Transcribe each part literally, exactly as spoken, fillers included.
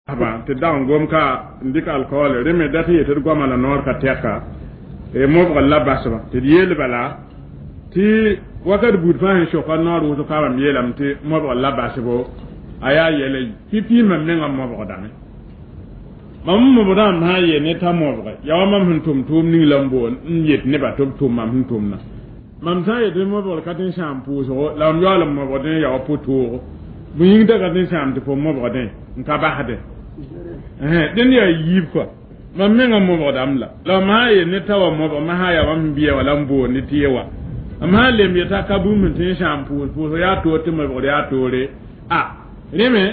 Ba tɩ dag n gom ka n dɩk alkool rẽ me dat n yetɩ d goama la noor ka tɛka mobgr la basba tɩ d yeel bala tɩ wakat buud fãa sẽn soka noor wʋsg ka mam yeelame tɩ mobgr la basbo a yaa yɛla yi pipi mam mengã mobgdame mam mobdã m sã n yeel ne t'a mobge yaa wa mam sẽn tʋm tʋʋm ning la n boon n yet nebã tɩ b tʋm mam sẽn tʋmna mam sã n yetɩ mobgr ka tɩ n sãam pʋʋsgo la mam yaool n mobgdẽ yaa wa pʋ-toogo bõe yĩng da ka tɩ n sãam tɩ fo mobgdẽ n ka basdẽ dẽnd yaa yiib kɔa mam mengã mobgdame la la mam sã n yel ne t'a wa mobg ma sã yaa mam sẽn bɩa wã la n boond tɩ ye wa mam sã n lemb yet'a ka bũmb sẽn tɩ n sãam pʋʋs pʋʋsg yaa toor tɩ mobgd yaa toore a rẽ me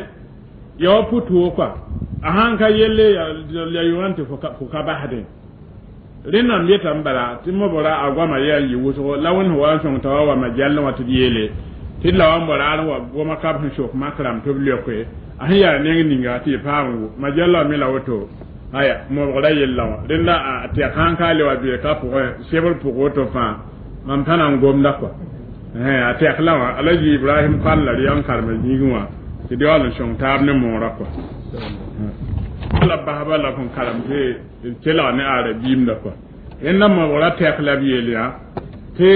yaa wa pʋ-toog kɔa a sãn ka yelle la yʋgã tɩ fo ka basdẽ rẽnd mam yetame bala tɩ mobgra a goama yaa n yɩ wʋsgo la wẽnd sẽn wa n sõng t'a wa wa majallẽ wã tɩ d yeele tɩ d la wa n bao raar n wa goma kab sẽn sok makrame tɩ b leoke a sẽn yaa neng ninga tɩ y paam wʋ majallã wã me la woto aya mobgra yella wã rẽnd la a tɛk sãn ka le wa beeka pʋgẽ sebr pʋg woto fãa mam tãna n gomda kɔa a tɛk la wã Alaji Ibrahim Kall la rɩ n karema yĩngẽ wã tɩ d yaool n sõng taab ne moorã kɔa la basba la fõn karem tɩ d kelg ne arabiimda kɔa rẽnda mobgrã tɛk la b yeel yã tɩ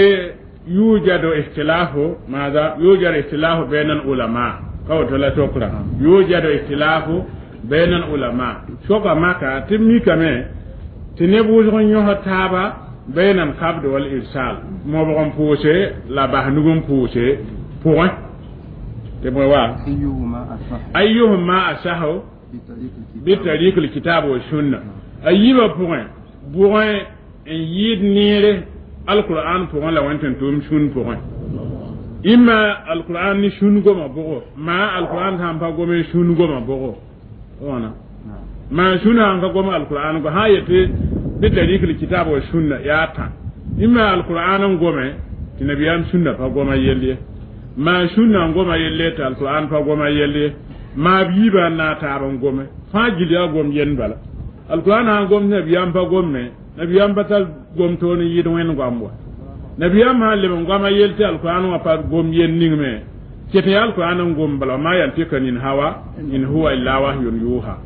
يوجد اختلاف ماذا يوجد اختلاف بين العلماء ka woto la sokra يوجد اختلاف بين العلماء soka maka tɩ mikame tɩ neb wʋsg n yõsd taaba بين القبض والإرسال mobg n pʋʋse la bas nug n pʋʋse pʋgẽ tɩ bõe wa أيهما أصح بطريق الكتاب والسنة a yiibã pʋgẽ bʋgẽ n yɩɩd neere alquran pʋgẽ la wẽn tɩ n tʋʋm sũn pʋgẽ imma alquran ni sũn goma bʋgo maa alquran sã n pa gome sũn goma bʋgo wãna maa sũn sãn ka gom alquran go sã n yetɩ بطريق الكتاب والسنة yaa tã imma alquran n gome tɩ nabiyaam sũnna pa goma yell ye maa sũnna n goma yelle tɩ alquran pa goma yell ye maa b yiibã n na n taab n gome fãa gil yaa gom yend bala alquran sã n gom tɩ nabiyaam pa gomme nabiyaam pa tar gom toor n yɩɩd wẽnd goam wa nabiyaam sã n leb n goama yell tɩ alquran wã pa gom yell ning me ket yaa alquran n gom bala وما ينطق عن الهوى إن هو إلا وحي يوحى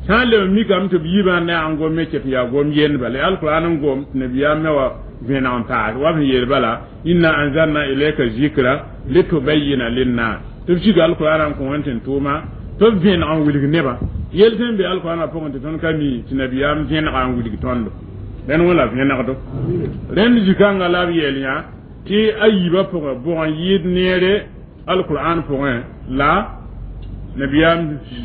sã n leb n mikame tɩ b yiibã n na n gom me ket yaa gom yend bala yaa alquran n gom tɩ nabiyaam me wa vẽneg n paas wa b sẽn yeel bala إنا أنزلنا إليك الذكر لتبين للناس tɩ b sig alquran n kõ wẽnd tɩ n tʋʋma tɩ b vẽneg n wilg nebã yel sẽn be alquran pʋgẽ tɩ tõnd ka mi tɩ nabiyaam vẽnega n wilg tõndo rẽnd wã la vẽnegdo rẽnd zikãngã la b yeel yã tɩ a yiibã pʋgẽ bʋg n yɩɩd neere alquran pʋgẽ la nabiyaam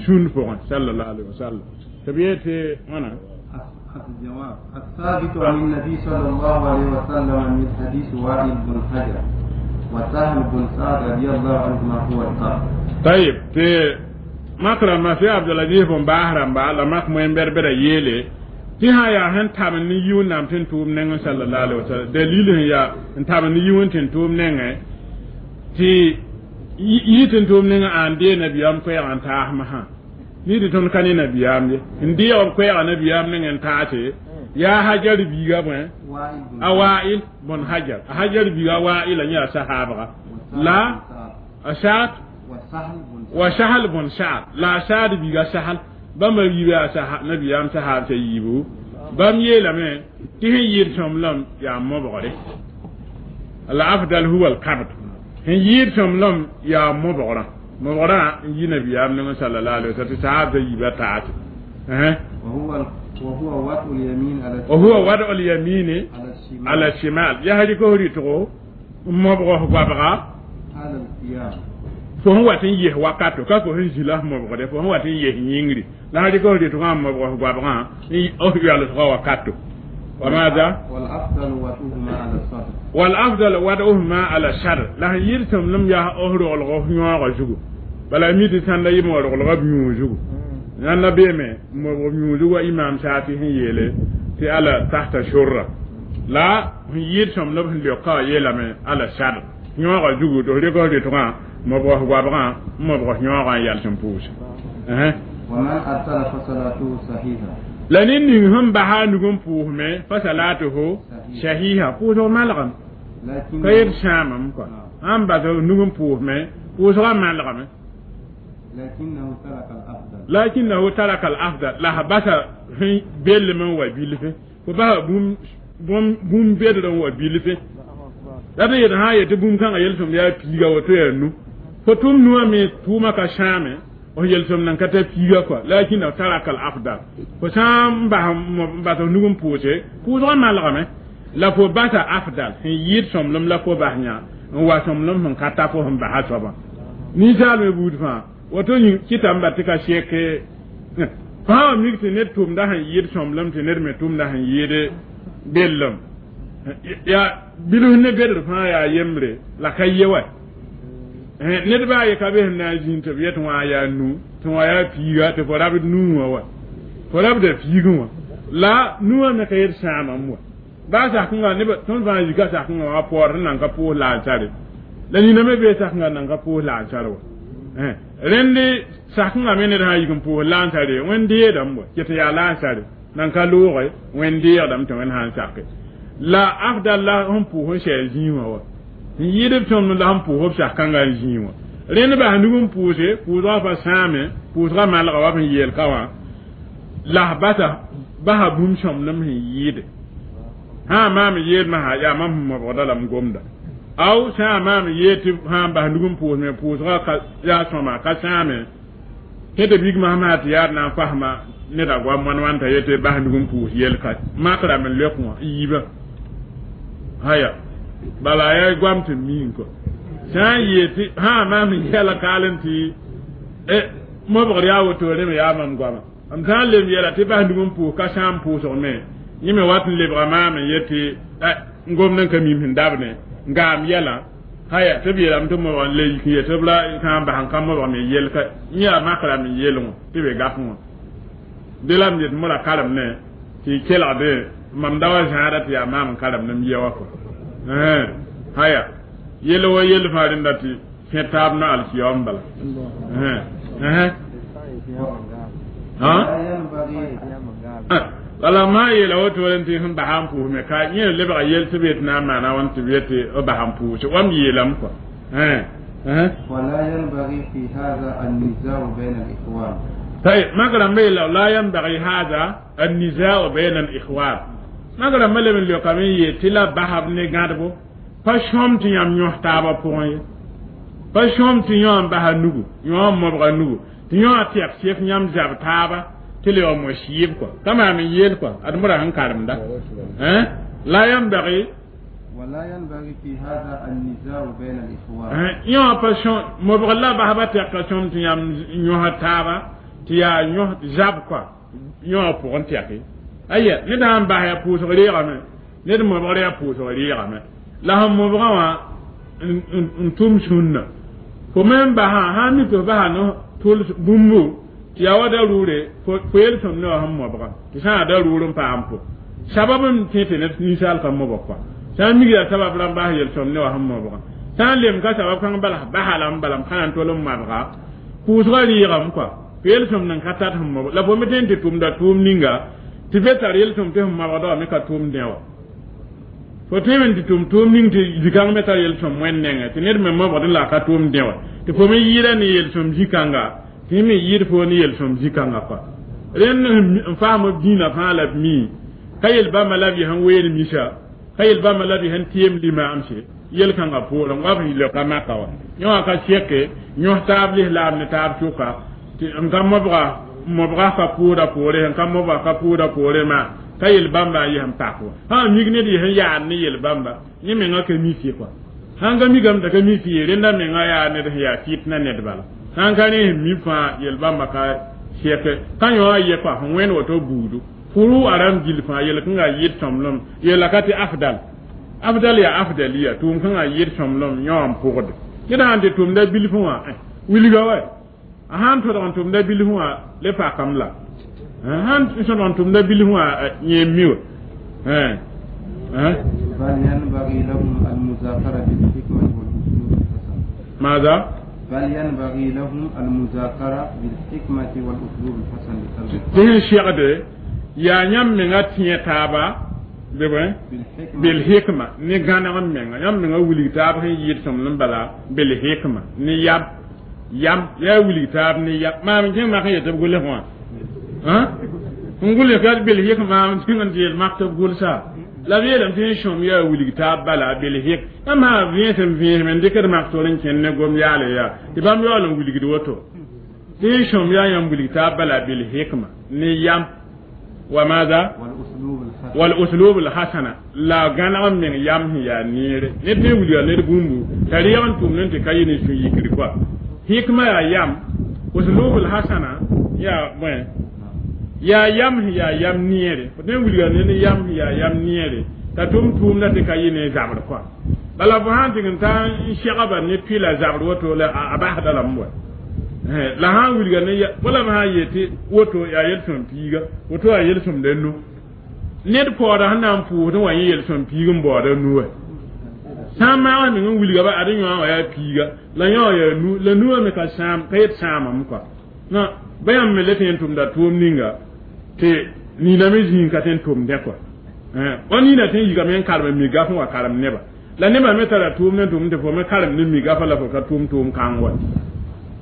sũnd pʋgẽ صلى الله عليه وسلم tɩ b yee tɩ wãna الجواب الثابت عن النبي صلى الله عليه وسلم من حديث وائل بن حجر وسهل بن سعد رضي الله عنهما هو القبض طيب tɩ makra ma sɩ Abdulaziz bõn baas rãmba la mak moẽn-bɛd-bɛda yeele tɩ sã yaa sẽn tabend ne yi wẽnnaam tɩ n tʋʋm nengẽ صلى الله عليه وسلم dalil sẽn yaa n tabend ne yi wẽn tɩ n tʋʋm nengẽ tɩ yi tɩ n tʋʋm nengẽ ãn dee nabiyaam koɛɛg n taas masã ni tɩ tõnd ka ne nabiyaam ye n deeg b koɛɛga nabiyaam nengẽ n taase yaa Hajar biiga bõe a Wa'il bõn Hajar a Hajar biiga Wa'il a yã sahaabga la a Saad wa Sahal bõn Saad la a Saad biiga Sahal bãmba yiiba yaa nabiyaam sahaab t'a yiibu bãmb yeelame tɩ sẽn yɩɩd sõmblem yaa mobgre الأفضل هو القبض sẽn yɩɩd sõmblem yaa mobgrã mobgrã n yi nabiyaam nengẽ صلى الله عليه وسلم tɩ sahaab t'a yiiba taase وهو وهو وضع اليمين على وهو وضع اليمين على الشمال على الشمال yaa rɩk f rɩtgo n mobg f goabga حال القيام fo sẽn wat n ges wakato ka fo sẽn zĩ la f mobgde fo sẽn wat n ges yĩngri la sã rɩk f rɩtgã n mobg f goabgã f yalsgã wakato وماذا؟ والأفضل وضعهما على الصدر والأفضل وضعهما على الصدر la sẽn yɩɩd sõmblem yaa f roglg f yõogã zugu bala mi tɩ sãnda yɩm wa roglga b yũu zugu yãnda beeme mobg b yũu zugu wa imam Shafi sẽn yeele tɩ على تحت السرة la sẽn yɩɩd sõmblem sẽn leoka wã yeelame على الصدر yõogã zugu tɩ f rɩk f rɩtgã mobg f goabgã n mobg f yõogã n yals n pʋʋse ومن أرسل فصلاته صحيحة la ned ning sẽn basa a nug n pʋʋsme فصلاته صحيحة pʋʋsg malgame لكن ka yet sãamame kɔa sãn bas nug n pʋʋsme pʋʋsgã malgame لكنه ترك الأفضل لكنه ترك الأفضل la basa bellem n wa bilfe fo basa bũmb bũmb bedr n wa bilfe la d yet sã n yetɩ bũmb kãngã yel-sõmd yaa piiga woto yaa nu fo tʋm nuwã me tʋʋmã ka sãame f yel-sõmd nan ka ta piiga kɔa لكنه ترك الأفضل fo sã n bas n bas f nug n pʋʋse pʋʋsgã malgame la fo basa أفضل sẽn yɩɩd sõmblem la fo bas yã n wa sõmblem sẽn ka ta fo sẽn basa soabã ninsaal me buud fãa woto kɩtame ba tɩ ka sɛke fãa wa mik tɩ ned tʋmda sẽn yɩɩd sõmblem tɩ ned me tʋmda sẽn yɩɩd bellem yaa bilf ne bedr fãa yaa yembre la ka ye wa ned baa ye ka be sẽn na n zĩnd tɩ b yet wã yaa nu tɩ wã yaa piiga tɩ fo rabd nuu wã wa fo rabda piigẽ wã la nuwã me ka yet sãamam wa baa sakẽnga neb tõnd fãa zika sakẽnga wã paoor n nan ka pʋʋs laansare la nina me bee sakẽnga n nan ka pʋʋs laansar wa rẽnd sakẽnga me ned sã n yik n pʋʋs laansare wẽnd deedame wa ket yaa laansare nan ka looge wẽnd deegdame tɩ wẽnd sã n sake la أفضل la sẽn pʋʋs n sɛɛ zĩig wã wa n yɩɩd b tõnd la sẽn pʋʋs b sak-kãngã n zĩig wã rẽnd bas nug n pʋʋse pʋʋsgã pa sãame pʋʋsgã malga wa sẽn yeel ka wã la basa basa bũmb sõmblem sẽn yɩɩde sã n maam yeelmã sã yaa mam sẽn mobgda la m gomda aw sã n maam yeel tɩ sã n bas nug n pʋʋs me pʋʋsgã ka yaa sõma ka sãame tẽd bigmã sã tɩ yaad na n fasma neda goam wãn wãn t'a yetɩ bas nug n pʋʋs yel ka makrame n leok wã n yiibã haya bala yaa goam tɩ miin kɔ sã n yeel tɩ sã n maam yɛla kaal n tɩ mobgr yaa wotore me yaa mam goama m sã n lem yɛla tɩ bas nug n pʋʋs ka sãam pʋʋsg me yẽ me wat n lebga maam n yetɩ n gomd n ka mim sẽn dabne n gaam yɛlã haya tɩ b yeelame tɩ mobg n le yik n yetɩ b la sã n bas n ka mobg me yel ka yẽ yaa makrame n yeelgõ tɩ be gaf wã de la m yet mora karem ne tɩ y kelgde mam da wa zãada tɩ yaa maam n karem ne m ye wa kɔ haya yel wa yel fãa rẽnda tɩ kẽ taab na alkiyam bala ولا ينبغي wala ma yeela woto n tɩ sẽn basa n pʋʋs me ka yẽ lebga yel tɩ b yet na n maana wãn tɩ b yetɩ b basa n pʋʋse wam yeelame kɔa ولا ينبغي في هذا النزاع بين الإخوان طيب ما ميلا لا ينبغي هذا النزاع بين الإخوان ما قال ملم اللي قامي يتلا بحب نغادبو pa sõm tɩ yãmb yõs taabã pʋgẽ ye pa sõm tɩ yõ n basa nugu yõ n mobga nugu tɩ yõ a tɛk sek yãmb zab taaba tɩ le wa mo siib kɔ ka maam n yeel kɔ ad mora sẽn karemda لا ينبغي ولا ينبغي في هذا النزاع بين الإخوان yõ pa sõm mobg la basba tɛka sõm tɩ yãmb yõs taaba tɩ yaa yõs zab kɔ yõ pʋgẽ tɛke aya ned sãn bas yaa pʋʋsg reegame ned mobgr yaa pʋʋsg reegame la sẽn mobgã wã n tʋm sũnna fo me n basã sã n mi tɩ f basa no tʋls bũmbu tɩ yaa wa da rʋʋre fo yel-sõmd ne wa sẽn mobgã tɩ sã n da rʋʋr n paam fo sabab n tẽ tɩ ned ninsaal ka mobg kɔa sã n mig yaa sabab la n bas yel-sõmd ne wa sẽn mobgã sã n lem ka sabab kãng bala basa la n bala m ka na n tol n mabga pʋʋsgã rɩɩgame kɔa fo yel-sõmd n ka tat sẽn mobg la fo me tõe n tɩ tʋmda tʋʋm ninga tɩ be tar yel-sõmd tɩ sẽn mabgda wã me ka tʋʋm dẽ wa fo tõeme n tɩ tʋm tʋʋm ning tɩ zĩ-kãng me tar yel-sõm wẽnd nengẽ tɩ ned me mobgd la ka tʋʋm dẽ wa tɩ fo me yɩɩda ne yel-sõm zĩ-kãnga tɩ me yɩɩd fo ne yel-sõm zĩ-kãngã kɔa rẽnd n faam b dĩinã fãa la b mi ka yel bãmba la b yɩ sẽn ween misa ka yel bãmba la b yɩ sẽn tɩɩm limaamse yel-kãngã poorẽ wa b leoka maka wa yõ wã ka sɛke yõs taab lislaam ne taab sʋka tɩ n ka mobga mobga ka pʋʋda poore n ka mobga ka pʋʋda poore maa ka yel bãmba n yɩs n pak wa sã n mik ned yɩs n yaad ne yel bãmba yẽ menga ka mi fɩ kɔa sãn ka mikame t'a ka mi fɩ ye rẽnda menga yaa ned sẽn yaa fɩt na ned bala sãn ka rẽ sẽn mi fãa yel bãmba ka sɛke ka yõ a ye kɔa sẽn wẽnd woto buudu furu a rãmb gill fãa yel-kãngã yɩɩd sõmblem yeela ka tɩ أفضل أفضل yaa أفضلية tʋʋm kãngã yɩɩd sõmblem yõ n pʋgde ned sãn tɩ tʋmda bilfẽ wã wilga wa a sãn tõdg n tʋmda bilfẽ wã le pakame la sãn sõdg n tʋmda bilfẽ wã yẽ mi wa بل ينبغي لهم المذاكرة بالحكمة والأسلوب الحسن ماذا؟ بل ينبغي لهم المذاكرة بالحكمة والأسلوب الحسن لتربية tɩ sẽn segde yaa yãmb menga tẽe taaba bɩ بالحكمة بالحكمة ne gãneg n menga yãmb menga wilg taab sẽn yɩɩd sõmblem bala بالحكمة ne yab Yam yaa wilg taab ne yam maam kẽng mak n yet tɩ b gʋls wã n gʋls ka bil hik maam tẽng n tɩ yel mak tɩ b gʋlsa la b yeelame tɩ n sõm yaa wilg taab bala bil hik yãmb sã vẽesem vẽesem n dɩkd mak tor n kẽnd ne gom yaale yaa tɩ bãmb yaool n wilgd woto tɩ n sõm yaa yãmb wilg taab bala bil hikma ne yam wa maada wal uslub al hasana la gãneg n meng yam sẽn yaa neere ned ne wilga ned bũmbu t'a reeg n tʋmd n tɩ ka yɩ ne sũ-yikr koa hikma yaa yam uslub al hasana yaa bõe yaa yam sẽn yaa yam neere fo ne wilga ned yam sẽn yaa yam neere t'a tʋm tʋʋmda tɩ ka yɩ ne zabr koa bala fo sã n tɩg n ta n segba ne pila zabr woto la a basda lame wa la sã n wilga ne wala b sã n yetɩ woto yaa yel-sõm piiga woto yaa yel-sõmda nu ned paooda sẽn na n pʋʋsd n wa yẽ yel-sõm piig n baooda nu wɛ sã n maag meng n wilga ba ad yõa wã yaa piiga la yõ yaa nu la nuwã me ka sãam ka yet sãamame koa na ba yãmb me le tɩ n tʋmda tʋʋm ninga tɩ nina me zĩig ka tɩ n tʋmdẽ koa wa nina tɩ n yigame n karem mi gaf n wa karem neba la nebã me tara tʋʋm ne tʋm tɩ fo me karem ne mi gafa la fo ka tʋʋm tʋʋm kãng wa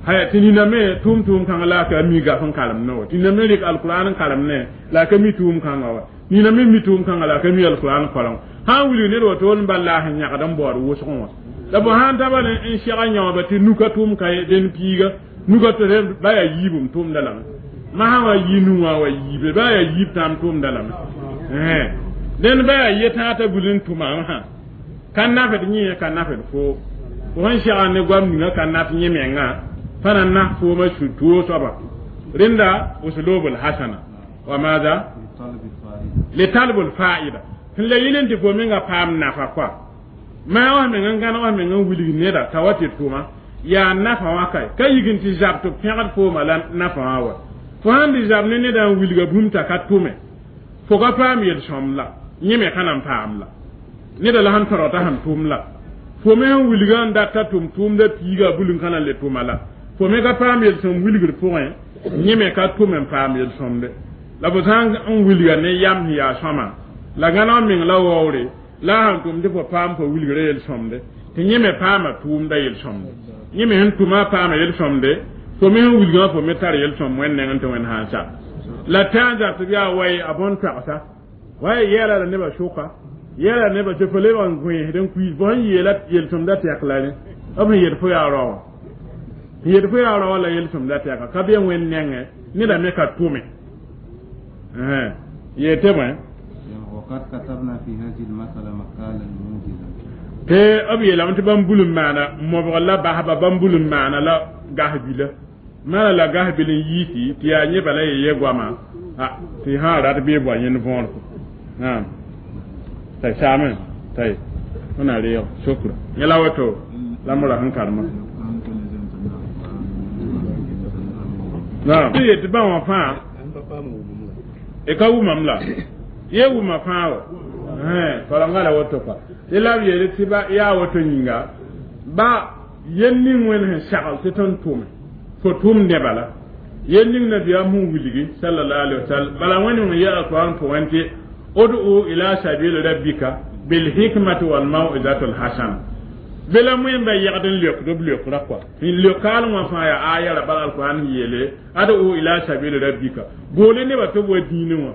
haya tɩ nina me tʋʋm tʋʋm kãngã la a ka mi gaf n karem ne wa tɩ nina me rɩk alkuraan n karem ne la a ka mi tʋʋm kãngã wa nina me mi tʋʋm kãngã la a ka mi alkuraan koreng sã n wilg ned woto n bal la sẽn yãgd n baood wʋsgẽ wã la fo sã n taba n sega yãooba tɩ nuka tʋʋm ka dẽn piiga nuka tɩ ba yaa yiibum tʋʋmda lame masã wa yi nu wã wa yiibe ba yaa yiib tãam tʋʋmda lame dẽnd ba yaa yetãa t'a bul n tʋma sã ka nafd yẽ ka nafd fo fo sẽn sega ne goam ninga ka naf yẽ menga fa na nas fooma su-toog soaba rẽnda uslubul hasana wa maada litalbul fa'ida sẽn la yɩl n tɩ fo menga paam nafa koa maa wã meng n gãneg wã meng n wilg neda t'a wa tɩ tʋma yaa nafa wã kae ka yig n tɩ zab tɩ b pẽgd fooma la nafa wã wa fo sãn dɩ zab ne neda n wilga bũmb t'a ka tʋme fo ka paam yel-sõm la yẽ me ka na n paam la neda la sẽn tõrg t'a sẽn tʋm la fo me sẽn wilga n dat t'a tʋm tʋʋmda piiga bul n ka na n le tʋma la fo me ka paam yel-sõm wilgr pʋgẽ yẽ me ka tʋm n paam yel-sõmde la fo sã n wilga ne yam sẽn yaa sõma la gãneg meng la waoore la a sãn tʋm tɩ fo paam fo wilgra yel-sõmde tɩ yẽ me paama tʋʋmda yel-sõmde yẽ me sẽn tʋma paama yel-sõmde fo me sẽn wilgã fo me tar yel-sõm wẽnd nengẽ tɩ wẽnd sã n sa la tã n zab tɩ b yaa wai a bõn-toagsa wa yɛɛla la nebã sʋka yɛɛla nebã tɩ fo lebg n gõesd n kuiis fo sẽn yeela yel-sõmda tɛk la rẽ b sẽn yet fo yaa rao wã sẽn yet fo yaa rao wã la yel-sõmda tɛka ka be wẽnd nengẽ neda me ka tʋme yeete bõe وقد كتبنا في هذه المسألة مقالا موجزا tɩ b yeelame tɩ bãmb bul n maana mobg la basba bãmb bul n maana la gas-bila maana la gas-bil n yiisi tɩ yaa yẽ bala ye ye goama tɩ sã rat bɩ boa yẽnd võor naam tay saame tay wẽna reeg sokra yẽ la woto la m ra sẽn karema naam tɩ yetɩ bã wã fãa e ka wʋmam la ye wʋma fãa wa karenga la woto kɔa tɩ la b yeele tɩ ba yaa woto yĩnga ba yel ning wẽnd sẽn sagl tɩ tõnd tʋme fo tʋm nebã la yel ning nabiyaam sẽn wilgi sallallahu alaihi wasallam bala wẽnd n yɛ alquran pʋgẽ tɩ ud'u ila sabili rabbika bil hikmati wal mau'izati al hasana bela moẽmba yɛgd n leokd b leokra kɔa n leokaal wã fãa yaa aya ra bala alquran yeele ad'u ila sabili rabbika boole nebã tɩ b wa dĩinẽ wã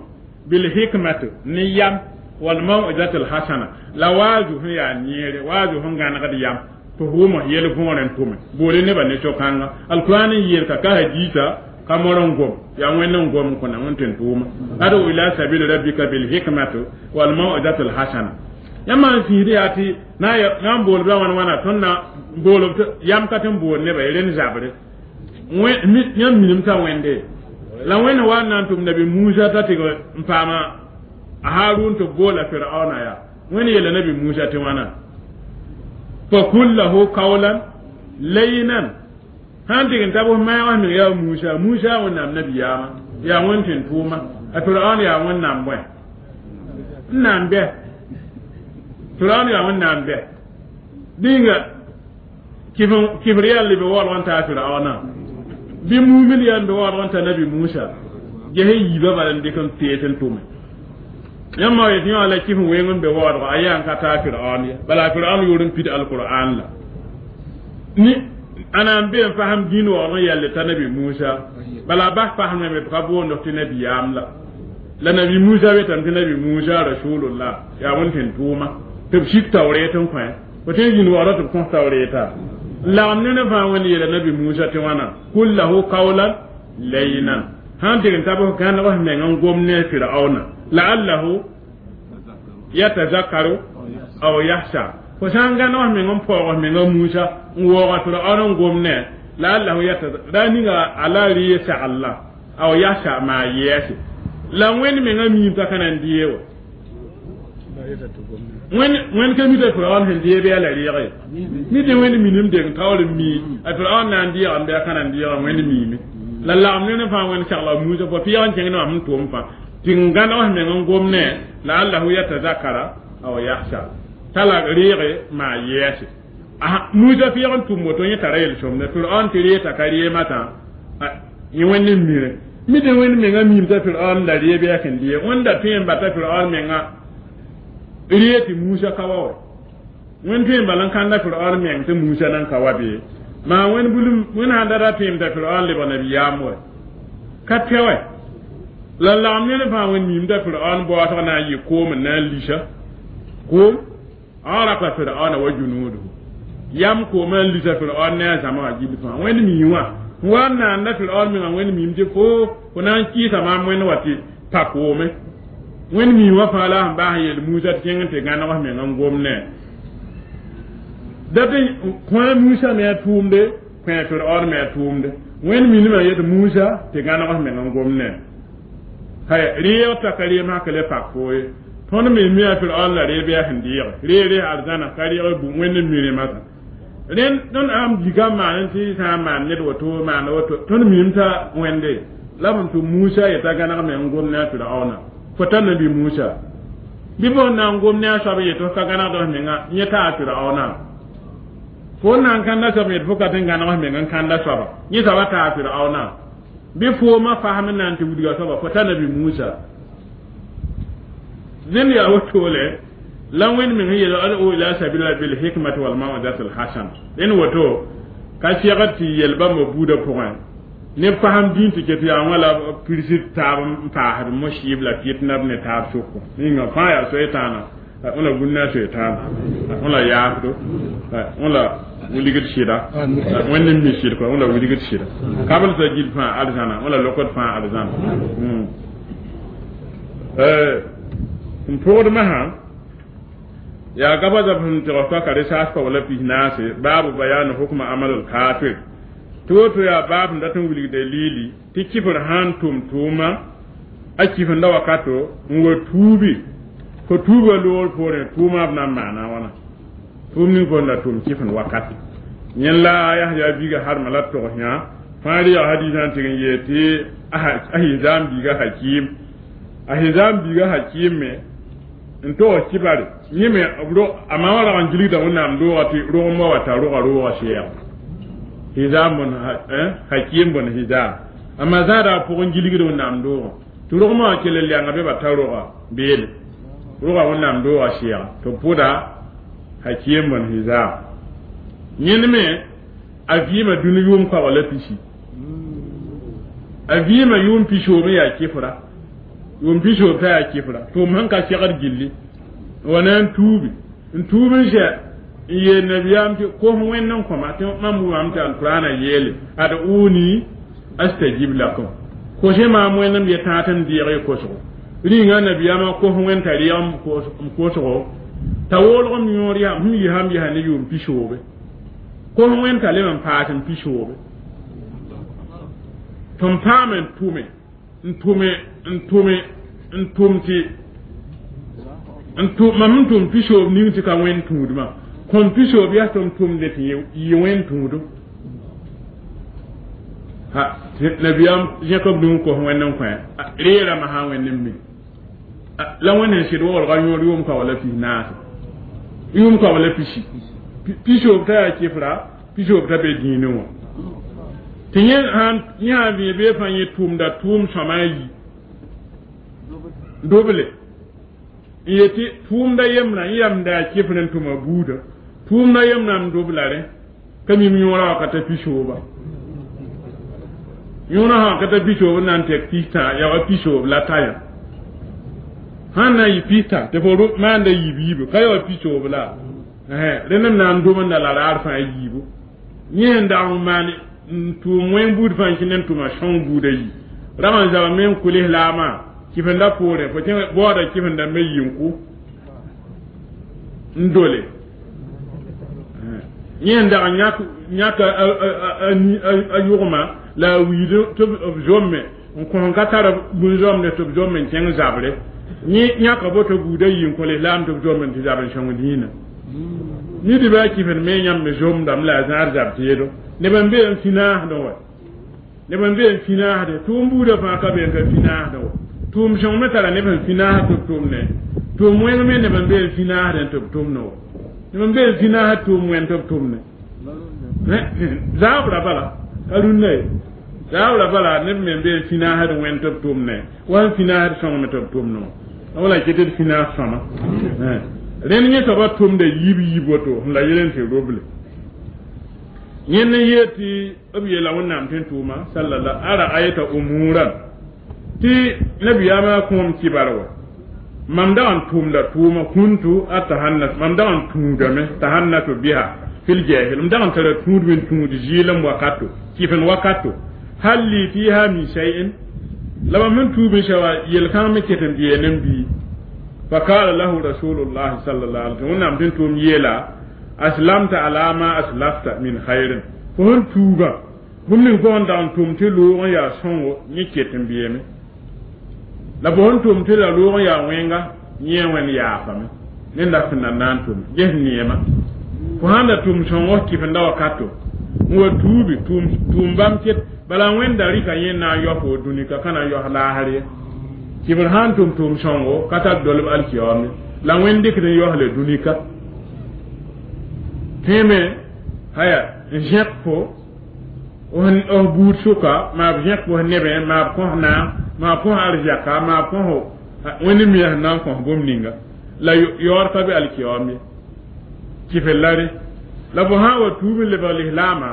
bil hikmati ne yam wal mau'izati al hasana la waazu sẽn yaa neere waazu sẽn gãnegd yam tɩ f wʋm yel võor n tʋme boole nebã ne so-kãnga alquran n yeelka ka hadiisa ka mor n gom yaa wẽnd n gom n kõna wẽn tɩ n tʋʋma ad'u ila sabili rabbika bil hikmati wal mau'izati al hasana yãmb n sĩisd yaa tɩ na n bool b la wãn wãna tõnd na bool yam ka tɩ n bool nebã ye rẽnd zabre yãmb minim t'a wẽnde la wẽnd wa n na n tʋm nabi Musa t'a tɩg n paama a Harun tɩ boola Firaona yaa wẽnd yeela nabi Musa tɩ wãna fa kul lahu qawlan layyinan sãn tɩg n ta bʋs maag meng yaa Musa Musa wẽnnaam nabiyaamã yaa wẽnd tɩ n tʋʋma a Firaon yaa wẽnnaam bõe n na n bɛ Firaon yaa wẽnnaam bɛ dĩnga kifr yaa leb waoolg n taa Firaona bɩ mumil yaa n be waoolg n ta nabi Musa ges yiibã bala n dɩk n pees n tʋme yãmb ma yetɩ yã la kɩf n weng n be waoolgo a yaa n ka taa Firaon ye bala a Firaon yʋʋr n pid alqur'an la ni Ana n be n fasem dĩin waoog n yɛlle t'a nabi Musa bala a bas fasem me ka boond tɩ nabiyaam la la nabi Musa wetame tɩ nabi Musa rasulullah yaa wẽnd tɩ n tʋʋma tɩ b sik taoreet n kõ fo tõe n zĩnd waoodã tɩ b kõs taoreeta n lagem ne ne fãa wẽnd yeela nabi Musa tɩ wãna kul lahu qawlan layyinan sãn tɩg n tab f gãneg f meng n gom ne Firaona la'allahu yatazakkaru aw yahsha fo sã n gãneg f meng n paoog f menga Musa n waooga Firaona n gom ne la'allahu yatazakkaru ra ninga ala rɩ sagl aw yahsha maa yɛɛse la wẽnd menga miim t'a ka na n dee wa wẽnd ka mita Firaon sẽn dee bɩ a la rɩɛge mi tɩ wẽnd minim deng taoor n mii a Firaon na n deegame bɩ a ka na n deega wẽnd miime la lagem ne ne fãa wẽnd sagla Musa fo pɩɛg n kẽng ne wã sẽn tʋm fãa tɩ n gãneg f meng n gom ne la'allahu yatazakkara aw yahsha t'a la rɩɛge maa yɛɛse Musa pɩɛg n tʋm woto yẽ tara yel-sõmda Firaon tɩ ree t'a ka reemã yẽ wẽnd n mire mi tɩ wẽnd menga miim t'a Firaon la ree bɩ a sẽn dee wẽnda tõe n bata Firaon menga ree tɩ Musa ka wa wa wẽnd tõe n bala n kãnda Firaon meng tɩ Musa nan ka wa bee maa wẽnd bulum wẽnd sãn da ra tõem t'a Firaon lebg nabiyaam wa ka pɛ wɛ la lagem ne ne fãa wẽnd miim t'a Firaon baoosg na n yɩ koom n na n lisa koom agraka Firaona wa junuduhu yam koomã n lisa Firaon ne a zãma wã gill fãa wẽnd mii wã wa n naanda Firaon menga wẽnd miim tɩ fo fo na n kɩɩsa maam wẽnd wa tɩ pa koome wẽnd mii wã fãa la sẽn baas n yeel Musa tɩ kẽng n tɩ gãneg f meng n gom ne dat kõ Musa me a tʋʋmde kõ Firaon me a tʋʋmde wẽnd minimã yet Musa tɩ gãneg f meng n gom ne hay rɩɩg t'a ka reem sã ka le pak fo ye tõnd me mi a Firaon la ree bɩ a sẽn deege ree ree arzãna ka rɩg wẽnd n mi rẽmã rẽnd tõnd ãmb gika n maan tɩ sã n maan ned woto maan woto tõnd miim t'a wẽnde la b tɩ Musa yeta gãneg me n gom ne a Firaona fo ta nabi Musa bɩ fo na n gom ne a soab yetɩ f ka gãnegd f menga yẽ taa Firaona fo na n kãnda soab yetɩ fo ka tɩ n gãneg f meng n kãnda soaba yẽ soaba taa Firaona bɩ foomã fasem n na n tɩ wilga soaba fo ta nabi Musa zẽnd yaa wotole la wẽnd meng n yeel ad'u ila sabila bil hikmati wal maw'izati al hasana dẽnd woto ka segd tɩ yel bãmba buudã pʋgẽ ne fasem dĩn tɩ ket yaa wã la pirsd taab n paasd mosɩɩb la fitna b ne taab sʋkõ ninga fãa yaa soe-tãana wẽla gũnna a soe-tãana wẽla yaafdo wẽla wilgd sɩda wẽnd n mi sɩd kɔ wẽla wilgd sɩda kabl t'a gil fãa arzãna wẽla lokd fãa arzãna n pʋgdmã sã yaa gaba zab sẽn tɩg f ka resaas pa wala pis naase baabu bayanu hukma amalul kafir tɩ woto yaa baab n dat n wilg dalili tɩ kifr sãn tʋm tʋʋma a kifenda wakato n wa tuubi fo tuuba loogr poorẽ tʋʋmã b na n maana wãna tʋʋm ning fo n da tʋm kifend wakat yẽn la Yahya biiga harma la togs yã fãa rɩ yaa hadiisã n tɩg n yeel tɩ a Hizaam biiga Hakim a Hizaam biiga Hakim me n tog kibare yẽ me a ma wã rag n gilgda wẽnnaam doogã tɩ rogmã wa t'a roga rooga sɛɛg Hizaam bõn Hakim bõn Hizaam a ma zãada a pʋgẽ gilgd wẽnnaam doogã tɩ rogmã wã kell n lɛnga bɩ ba ta roga beele roga wẽnnaam doogã sɛɛga tɩ b pʋda Hakim bõn Hizaam yẽnd me a vɩɩmã dũni yʋʋm kaoog la pisi a vɩɩmã yʋʋm pisoob n yaa kɩfra yʋʋm pisoob t'a yaa kɩfra tʋʋm sẽn ka segd gilli wa na n tuubi n tuub n zɛ n yeel nabiyaam tɩ kos wẽnd n kõma tɩ mam wʋmam tɩ alkurana yeele ad uni astajib lakum kose maam wẽnd m yetã tɩ m deeg y kosgo rĩnga nabiyaamã kos wẽnd t'a rɩɛg m kosgo t'a woolg m yõor yaa sẽn yisam yɛsa ne yʋʋm pisoobe kos wẽnd t'a lem n paas n pisoobe tɩ m paam n tʋme n tʋme n tʋme n tʋm tɩ n tʋm mam n tʋm pisoob ning tɩ ka wẽnd tũudmã kõm pisoob yaa tɩ m tʋmde tɩ yɩ wẽnd tũudum ha nabiyaam zẽk b nug kos wẽnd n kõ reerãmã sã n wẽnd n mi la wẽnd sẽn sɩd waoolga yõor yʋʋm ka wala pis naase yʋʋm ka wala pisi pisoob t'a yaa kɩfra pisoob t'a be dĩinẽ wã tɩ yẽ sãn yẽ sã vẽ bee fãa yẽ tʋʋmda tʋʋm sõma a yi doble n yetɩ tʋʋmda yembrã yẽ yamda yaa kɩfr n tʋma buudã tʋʋmda yembrã m dobla rẽ Ka mim yõora wa ka ta pisooba yõora sã ka ta pisoob n na n tek pistã yaa wa pisoob la ta yã sãn na n yɩ pistã tɩ fo maanda yiib yiibu ka ya wa pisoob la rẽnd n na n domenda la raar fãa yiibu yẽ sẽn dag n maan n tʋʋm wẽng buud fãa n kẽnd n tʋma sõng buuda yi rag n zaba me n kʋ lislaamã kɩfenda poorẽ fo kẽ baooda kɩfenda me yi n kʋ n dole yẽ n dag n yãk a yʋgma la a wiid tɩ b zomme n kõ ka tar bũn-zõmde tɩ b zomme n kẽng zabre yẽ yãka boto buuda yi n kõ lislaam tɩ b zomme tɩ zab n sõng dĩinã nidbã a kɩfend me yãmb me zomdame la a zãad zab teedo neb n be n finaasdẽ wa neb n be n finaasdẽ tʋʋm buudã fãa ka be n ka finaasdẽ wa tʋʋm sõng me tara neb sẽn finaasd tɩ b tʋmne tʋʋm wẽng me neb n be n finaasdẽ tɩ b tʋmne wa neb n be n finaasd tʋʋm wẽn tɩ b tʋmne zaabra bala ka rũnnã ye zaabra bala neb me n be n finaasd wẽn tɩ b tʋmne wa n finaasd sõng me tɩ b tʋmne wa wala ket d finaas sõma rẽnd yẽ soaba tʋmda yiib yiib woto la yel n tɩ roble yẽnd n yeel tɩ b yeela wẽnnaam tɩ n tʋʋma salala ara ayta umuran tɩ nabiyaamã kõom kibar wa mam dag n tʋʋmda tʋʋma kuntu atahannas mam dag n tũudame tahannatu biha fil jahil m dag n tara tũudme n tũud zɩɩlem wakato kɩfen wakato hal li fiha min shay'in la mam sẽn tuub n sã wa yel-kãng me ket n beene n bii فقال له رسول الله صلى الله عليه وسلم wẽnnaam tɩ n tʋʋm yeela aslamta ala ma aslafta min khairin fo sẽn tuuga bũmb ning fo sẽn dag n tʋm tɩ loog n yaa sõngo yẽ ket n beeme la fo sẽn tʋm tɩ la loog n yaa wẽnga yẽ wẽnd yaafame nenda sẽn na na n tʋm ges neema fo sãn da tʋm sõngo kɩfenda wakato n wa tuubi tʋʋm bãmb ket bala wẽnda rɩka yẽ na n yaos fo dũnika ka na n yaos laasr ye kɩbr sãn tʋm tʋʋm sõngo ka tar dolb alkiyaoome la wẽnd dɩkd n yaosle dũnika tẽeme haya n zẽk fo f buud sʋka maa b zẽk fo nebẽ maa b kõs naam maa b kõs arzɛka maa b kõs wẽnd mia sẽn na n kõs bũmb ninga la yaood ka be alkiyaoom ye kɩfr la re la fo sã n wa tuub n lebg lislaamã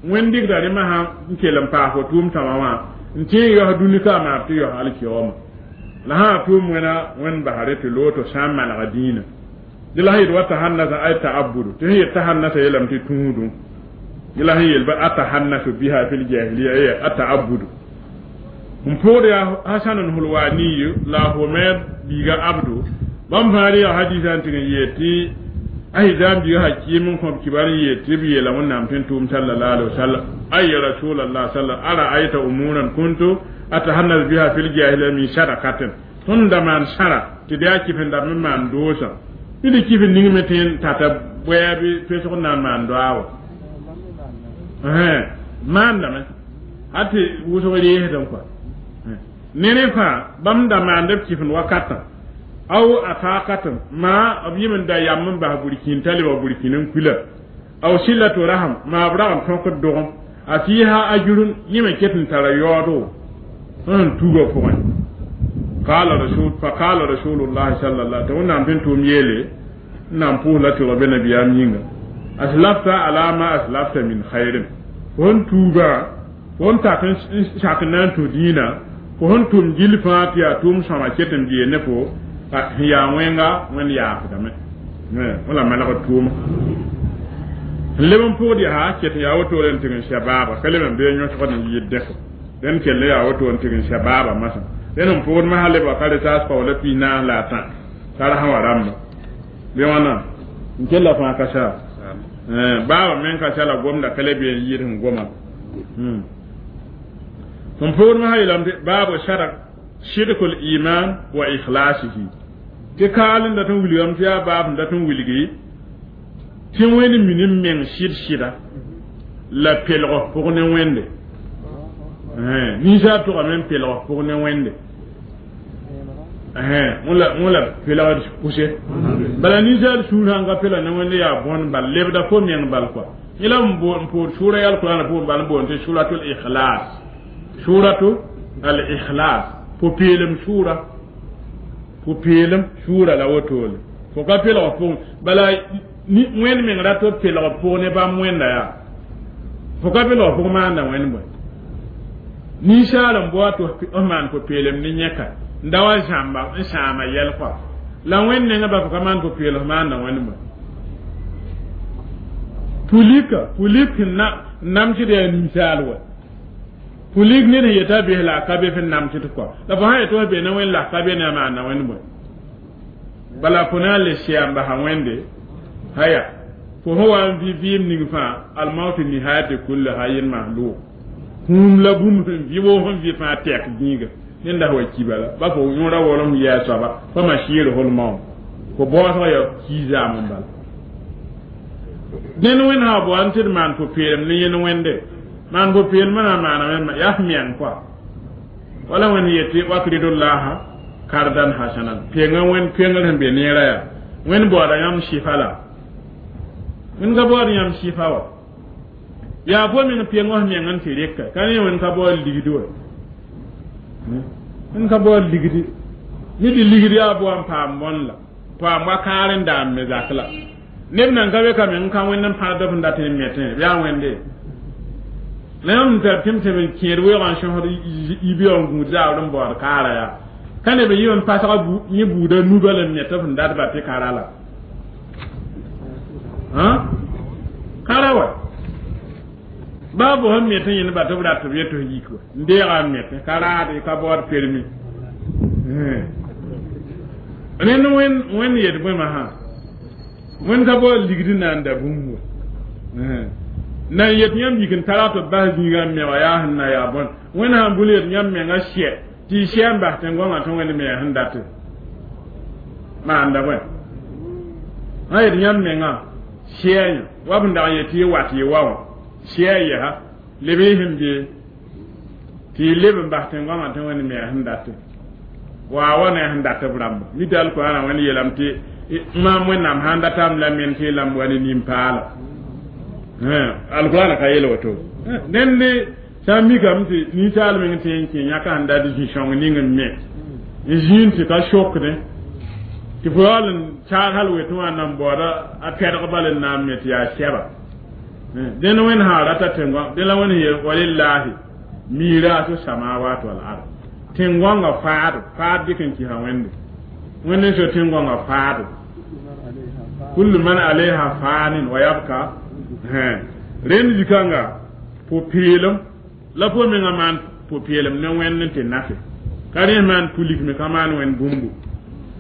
wẽnd dɩkda rẽmã sã n kell n paas fo tʋʋm tãmã wã n tẽ n yaos dũnika maa b tɩ yaos alkiyaoomã la sã tʋʋm wẽna wẽnd basre tɩ loog tɩ sã n manega dĩinã dɩ la sẽn yet wa tahannasa ay ta'abudu tɩ sẽn yet tahannasa yeelame tɩ tũudum dɩ la sẽn yel ba atahannasu biha fil jahiliya ye ata'abudu n pʋgd yaa hasan hulwaniyu la humed biiga abdu bãmb fãa yaa hadisa n tɩg n yeel tɩ ahizam biiga hakim n kõb kibar n yeel tɩ b yeela wẽnnaam tɩ n tʋʋm sallallahu alaihi wasallam ay rasulallah sallam ara ayta umuran kuntu atahannas biha fil jahiliya min sadakatin tõnd da maan sãra tɩ d yaa kɩfenda me maan doosã ned kɩf ning me tɩ n tata bʋɛɛb pesg n na n maan doa wa maandame hal tɩ wʋsg reesdẽ kɔa ne rẽ fãa bãmb da maand b kɩfend wakatã aw ataqatn ma b yɩm n da yam n bas burkĩn t'a lebg burkĩn n kuila aw silatu raham maa b rag n tõkd dogem a fiiha ajrun yẽ me ket n tara yaoodo sẽn tuugã pʋgẽ qala rasul fa qala rasulullah sallallahu alaihi wẽnnaam tɩ n tʋʋm yeele n na n pʋʋs la tɩg be nabiyaam yĩnga aslafta ala ma aslafta min khairin fo sẽn tuugã fo sẽn tak n sak n na n tũ dĩinã fo sẽn tʋm gill fãa tɩ yaa tʋʋm sõma ket n bee ne fo sẽn yaa wẽnga wẽnd yaafdame wala maneg tʋʋma n leb n pʋgd yaa ket n yaa wotore n tɩg n sɛ baaba ka leb n bee yõsgd n yɩɩd dẽko dẽnd kell yaa woto n tɩg n sɛ baaba masã dẽnd n pʋgd masã lebga ka retaas kaoola piis naas la a tã tara sã wa rãmba bɩ wãna n kella fãa ka sa baaba men ka sa la gomda ka le bee n yɩɩd sẽn goma sẽn pʋgd masã yeelame tɩ baabu sadak sidkul iman wa ikhlasihi tɩ kaal n dat n wilgame tɩ yaa baab n dat n wilgi tɩ wẽnd minim meng sɩd sɩda la pelg pʋg ne wẽnde ninsaab tʋgame n pelg pʋg ne wẽnde wẽla pelgd pʋse bala ninsaal sũur sãn ka pela ne wẽnde yaa bõn bal lebda fo meng bal kɔa yẽ la n poor sʋʋra yal kurãana pʋgẽ bal n boond tɩ suratul ikhlas suratu al ikhlas pʋ-peelem sʋʋra pʋ-peelem sʋʋra la wotole fo ka pelg pʋgẽ bala wẽnd meng rat b pelg pʋg ne bãmb wẽnda yaa Fo ka be log pʋg maanda wẽnd bõe ninsaal n bao tɩ f maan pʋ-peelem ne yẽka n da wa zãmba n sãama yɛl kɔa la wẽnd nengã ba fo ka maan pʋ-peelg f maanda wẽnd bõe pulika pulik sẽn na namsd yaa ninsaal wa pulik ned sẽn yeta bes la a ka be fẽn namsd kɔa la fo sã yetɩ f be ne wẽnd la f ka be ne a maanda wẽnd bõe bala fo na n le sɛa n basa wẽnde haya fo sẽn wa n vɩ vɩɩm ning fãa almautu nihayati kulli hayin mahluk kũum la bũmb sẽn vɩ woo sẽn vɩ fãa tɛk gĩiga ned la wa ki bala ba fo yõora wolem yɛɛ soaba fa ma sɩɩr maoom fo baoosg yaa kii zaam n bala dẽnd wẽnd sã bao n tɩ d maan pʋ-peelem ne yẽnd wẽnde maan pʋ-peelmã na n maana yaa f meng kɔa wala wẽnd yetɩ wakridullaha kardan hasanan penga wẽnd pengr sẽn be neera yaa wẽnd baooda yãmb sɩfa la wẽnd ka baood yãmb sɩfa wa yaa fo meng peng f meng n tɩ rɩka ka ne wẽnd ka baood ligdi wa wẽnd ka baood ligdi mi tɩ ligdi yaa boa n paam bõn la paam wa kaar n daam me zak la neb nan ka be ka meng n ka wẽnd n pãd b n dat n metẽ b yaa wẽnde la yãmb tar tɩ m tɩ b kẽed weoogã n sõsd yibeoog n gũud zaabr n baood kaara yaa ka neb n yɩ n pasga yẽ buuda nuba la n met f n dat ba tɩ kara la kara wa baa fo sẽn met yẽnd ba tɩ b rat b yet f yik wa n deega n metẽ ka raade ka baood permi rẽnd wẽnd wẽnd yet bõema sã wẽnd ka baood ligd n na n da bũmb wa na n yet yãmb yik n tara tɩ b bas zĩigã n me wa yaa sẽn na yaa bõn wẽnd sãn bũl yet yãmb menga sɛ tɩ y sɛ n bas tẽn-goamã tɩ wẽnd me sẽn date maanda bõe sã yet yãmb menga sɛa yã wa b n dag n yet tɩ y wat y wa wã sɛa yɛsa leb y sẽn be tɩ y leb n bas tẽn-goamã tɩ wẽnd me sẽn date wa wa ne sẽn dat b rãmba mi tɩ alkoorã wẽnd yeelame tɩ maam wẽnnaam sãn datame la men tɩ y lamb wa ne nin-paala alkurana ka yel woto dẽnd sã n mikame tɩ ninsaal meng tɩ n kẽ yãka sẽn dat zĩ-sõng ning n me n zĩnd tɩ ka sokdẽ tɩ fo yaool n saag hal wetẽ wã nan baooda a pɛdg bal n na n me tɩ yaa sɛba dẽnd wẽnd sã rata tẽn-goam dẽ la wẽnd yeel walillahi mirasu samawat wal ard tẽn-goangã faado faad dɩk n kɩsa wẽnde wẽnd n so tẽn-goangã faado kullu man alayha fanin wa yabka rẽnd zikãnga pʋ-peelem la fo mengã maan pʋ-peelem ne wẽnd n tɩ nafe ka rẽ maan pulik me ka maan wẽnd bũmbu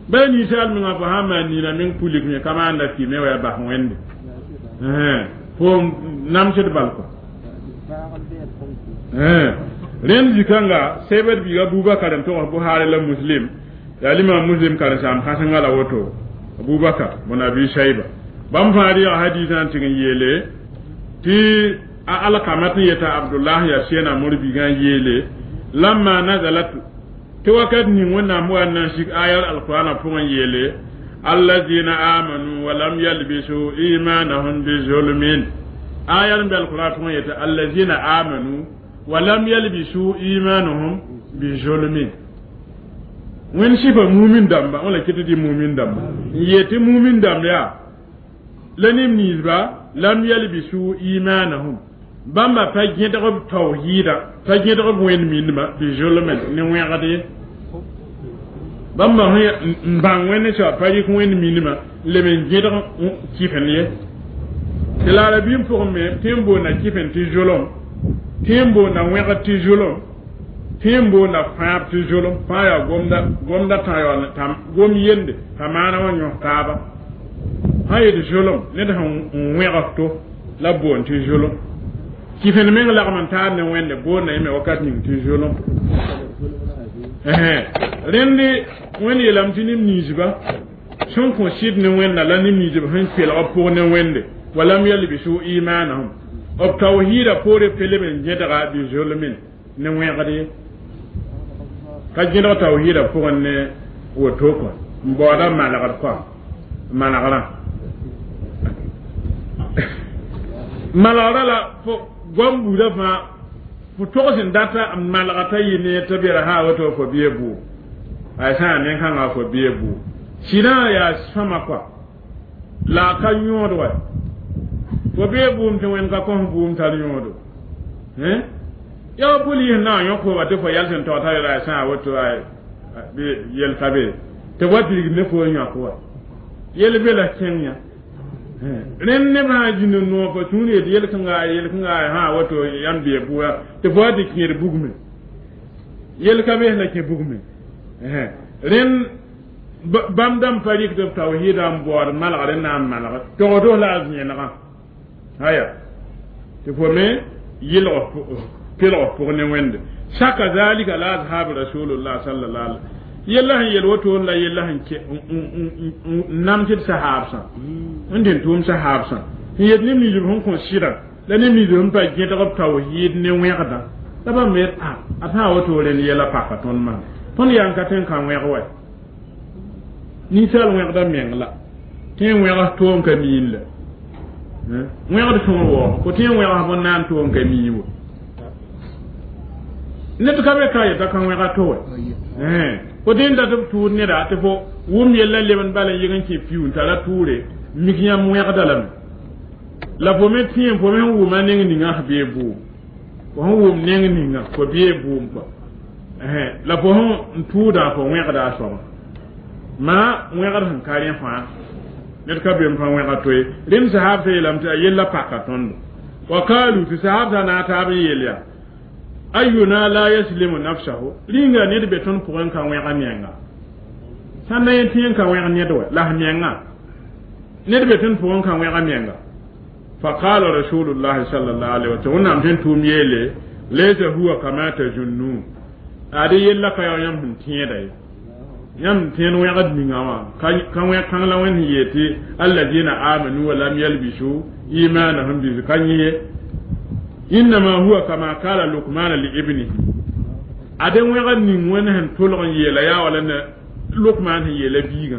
ba ninsaal mengã fo sã n maan nina meng pulik me ka maanda kime wa ya bas wẽnde fo namsd bal kɔ rẽnd zikãnga sebd biig abubakar n togs buhari la muslim yaa limam muslim karen-saam kãsenga la woto abubakar bõn abi shaiba bãmb fãa rɩga hadisã n tɩg n yeele tɩ a alkamat n yeta abdullah ya sẽna mor-biigã n yeele lamma nazalat tɩ wakat ning wẽnnaam wa n na n sik ayar alqur'ana pʋgẽ yeele alladina amanu walam yalbisu imanahum bizulmin ayar n be alqur'an pʋgẽ yeta alladina amanu walam yalbisu imanahum bizulmin wẽnd sɩfa mumin dãmba wã la kɩt tɩ mumin dãmba n yet tɩ mumin dãmb yaa la neb ninsba lam yalbisu imanahum bãmba pa gẽdg b tawhiida pa gẽdg b wẽnd mindmã bizulmin ne wẽgd ye bãmba n bãng wẽnd soab pa rɩk wẽnd mindmã n leb n gẽdg kɩfen ye tɩ la arabiim pʋgẽ me tɩ n boonda kɩfen tɩ zulum tɩ n boonda wẽgd tɩ zulum tɩ n boonda fãab tɩ zulum fãa yaa gomda gomda tã yaool gom yende t'a maana wã yõs taaba sã yet zulum ned sẽn wẽgs to la boond tɩ zulum kɩfen meng lagm n taar ne wẽnde boonda yẽ me wakat ning tɩ zulum rẽnd wẽnd yeelame tɩ neb ninsba sẽn kõ sɩd ne wẽnda la neb ninsb sẽn kelg b pʋg ne wẽnde walam yalbisu imanahum b tawhiida poore pe leb n gẽdga bizulmin ne wẽgd ye ka gẽdg tawhiida pʋgẽ ne woto kɔ n baooda malgd kɔ malgrã malgrã la fo goam buudã fãa fo togs n data n malga t'a yɩ ne t'a bera sã woto fo bɩ buug a sã n nen-kãngã fo bɩ buug sɩdã yaa sõma kɔa la a ka yõod wa fo bee bʋʋm tɩ wẽnd ka kõs bʋʋm tar yõodo Ya poli na yõk fo wa tɩ fo yɛl sẽn tog t'a ra sã woto yel ka be tɩ wa pirig ne fo yõk wa yel be la kẽng yã rẽnd neb sã zĩnd n noog fo sũur yet yel-kãnga yel-kãnga sã woto yãmb bee buga tɩ fo wa tɩ kẽed bugme yel ka be la kẽ bugme rẽnd bãmb dãmb pa rɩk tɩ b tawhiida n baood malgr n na n malg togdo la a zẽenegã aya tɩ fo me yɩlg kelg pʋg ne wẽnde saka zalika la ashab rasulullah sallallahu alaihi yella sẽn yel woto la yella sẽn nam tɩ d sahaabsã n dẽn tʋʋm sahaabsã sẽn yet neb ninsb sẽn kõ sɩda la neb ninsb sẽn pa gẽdg b tawhiid ne wẽgdã la bãmb yet a a sã woto rẽnd yɛla paka tõnd maan tõnd yaa n ka tõe n ka wẽg wa ninsaal wẽgda meng la tẽ wẽgs toom ka miin la wẽgd sõor waoog fo tẽ wẽgs bõn na n toom ka mii wa ned ka be ka yeta ka wẽga to wa fo dẽn dat b tʋʋd neda tɩ fo wʋm yella lebend bala n yeg n kẽ piu n tara tʋʋre mik yãmb wẽgda lame la fo me tẽem fo me sẽn wʋma neng ninga sẽn bee bʋʋm fo sẽn wʋm neng ninga fo bee bʋʋm kɔa la fo sẽn tʋʋda fo wẽgda a soaba maa wẽgd sẽn ka rẽ fãa ned ka be n pa wẽga to ye rẽnd sahaabsã yeelame tɩ a yella paka tõndo wa kaalu tɩ sahaabsã na a taab n yeel yaa ayuna la yaslimu nafsahu rĩnga ned be tõnd pʋgẽ ka wẽga menga sãn na yẽ tẽ n ka wẽg ned wa la menga ned be tõnd pʋgẽ ka wẽga menga faqala rasulullahi sallallahu alaihi wa sallam wẽnnaam sẽn tʋʋm yeele laysa huwa kama tazunnun ade yella ka yaa yãmb sẽn tẽeda ye yãmb tẽed wẽgd ninga wã ka wẽg kãng la wẽnd sẽn yeel tɩ alladina amanu wa lam yalbisu imanahum bi ka yẽ ye innama huwa kama kala lukmana li ibnihi ade wẽgd ning wẽnd sẽn tʋlg n yeela yaa wala ne lukman sẽn yeela biigã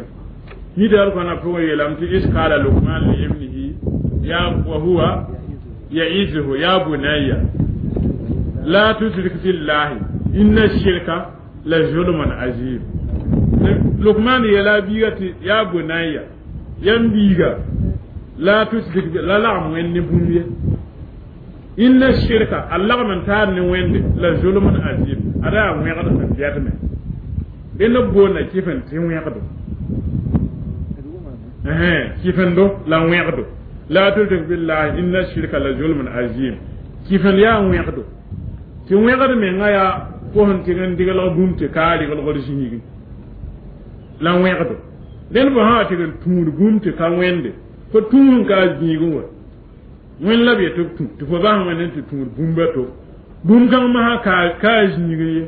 nidal kõna pʋgẽ yeelame tɩ is kala lukman li ibnihi ya wa huwa ya'izuhu ya bunayya la tushrik billahi inna shirka la zulmun azim lukman yeela biiga tɩ ya bunayya yãmb biiga la tushrik la lagm wẽnd ne bũmb ye inna shirka a lagm n taar ne wẽnde la zulmun azim ada yaa wẽgd sẽn bɛdme dẽnd b boonda kɩf n tɩ wẽgdo kɩfendo la wẽgdo la tushrik billahi inna shirka la zulmun azim kɩfend yaa wẽgdo tɩ wẽgd menga yaa fo sẽn tɩg n diglg bũmb tɩ ka reglgd zĩigẽ la wẽgdo dẽnd fo sã wa tɩg n tũud bũmb tɩ ka wẽnde fo tũud n ka a zĩigẽ wa wẽnd la b yetɩ b tũ tɩ fo bas wẽnd n tɩ tũud bũmba to bũmb kãng masã ka a zĩigẽ ye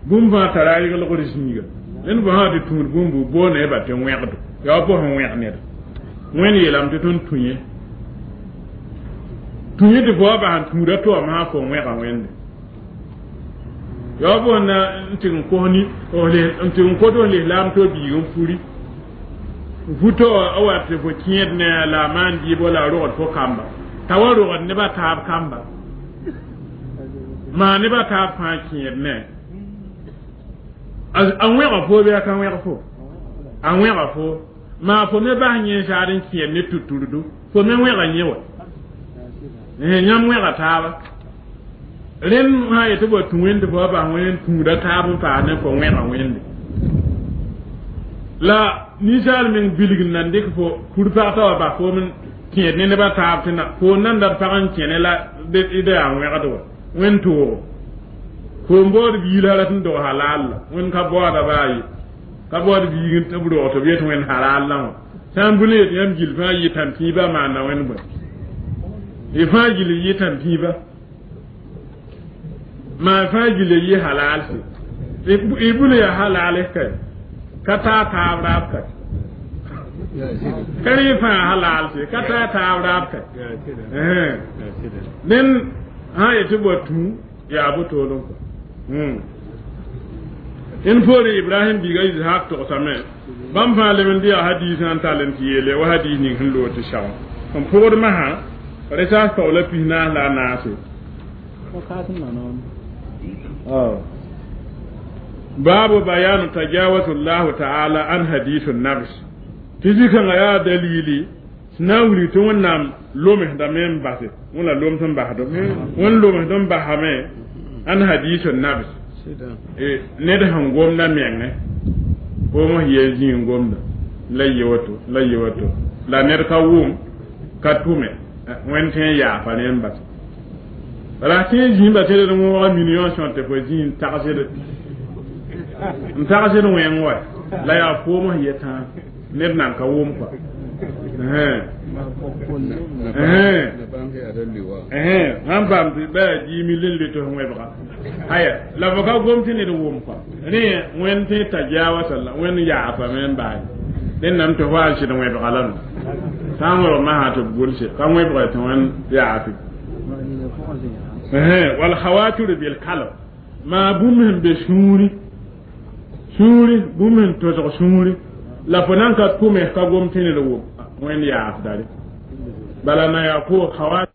bũmb fãa tara a reglgd zĩiga dẽnd fo sã wa tɩ tũud bũmb boonda yẽba tɩ wẽgdo yaa fo sẽn wẽg neda wẽnd yeelame tɩ tõnd tũ yẽ tũ yẽ tɩ fo wa bas n tũuda to wã masã fo wẽga wẽnde yaa fo na n tɩg n kos ni n tɩg n kot f lislaam to biig n furi futo a wa tɩ fo kẽed ne la a maan dɩɩbo la a rogd fo kamba t'a wa rogd nebã taab kamba maa nebã taab fãa kẽed ne a wẽga fo bɩ a ka wẽg fo a wẽga fo maa fo me bas yẽ saad n kẽed ne tuturdu fo me wẽga yẽ wa yãmb wẽga taaba rẽnd sã yetɩ bɔ tũ wẽnd tɩ fo wa bas wẽnd n tũuda taab n paas ne fo wẽga wẽnde la ninsaal meng bilg n nan dɩk fo kur-pag t'a wa bas foom n kẽed ne nebã taab tɩ na fo n nan dat pag n kẽne la d yaa wẽgd wa wẽnd toogo fo n baood biil rat n dog halaal la wẽnd ka baooda baa ye ka baood biig tɩ b rog tɩ b yet wẽnd halaal la wã sã n bũn yet yãmb gill fãa yɩ tãn-pĩibã maanda wẽnd bõe y fãa gill yɩ tãn-pĩiba maa fãa gill yɩ halaal se y bũn yaa halaal kay ka taa taab raab kay ka rẽ fãa halaal se ka taa taab raab kay ned sã yetɩ bɔ tũ yaa bo-toolem kɔ n poore ibrahim biiga ishaq togsame bãmb fãa leb n dɩ yaa hadiisã n tall n tɩ yeele wa hadiis ning sẽn loog tɩ sag n pʋgd masã resaas taoola pis naas la a naase baabu bayanu tajawazu llahu taala an hadisu nafs tɩ zikãngã yaa dalili Na n wilg tɩ Wẽnnaam lomsdame n base wẽn la lomd n basdo wẽn lomsd n basame ãn hadiis n nabs ned sẽn gomda mengẽ foom yel zĩig gomda la ye woto la ye woto la ned ka wʋm ka tʋme wẽnd tõe n yaafa ne n base bala tẽ zĩiba tɩ d wõoga million sõr tɩ fo zĩ n tagsd n tagsd wẽng wa la yaa foom sẽn yetã ned nan ka wʋm kɔa sãn paam tɩ ba yaa dix mille n le tɩ f wẽbga aya la fo ka gom tɩ ned wʋm kɔa rẽ wẽnd tõe t'a jaawa sala wẽnd yaafame n baase dẽn tɩ fo yaa n sɩd wẽbga la no sã n wẽbg masã tɩ b gʋlse ka wẽbga tɩ wẽnd yaafe wal khawatir bil kalb maa bũmb sẽn be sũuri sũuri bũmb sẽn tosg sũuri la fo nan ka tʋme ka gom tɩ ned wʋm wẽnd yaafdare bala na yaa ko khawa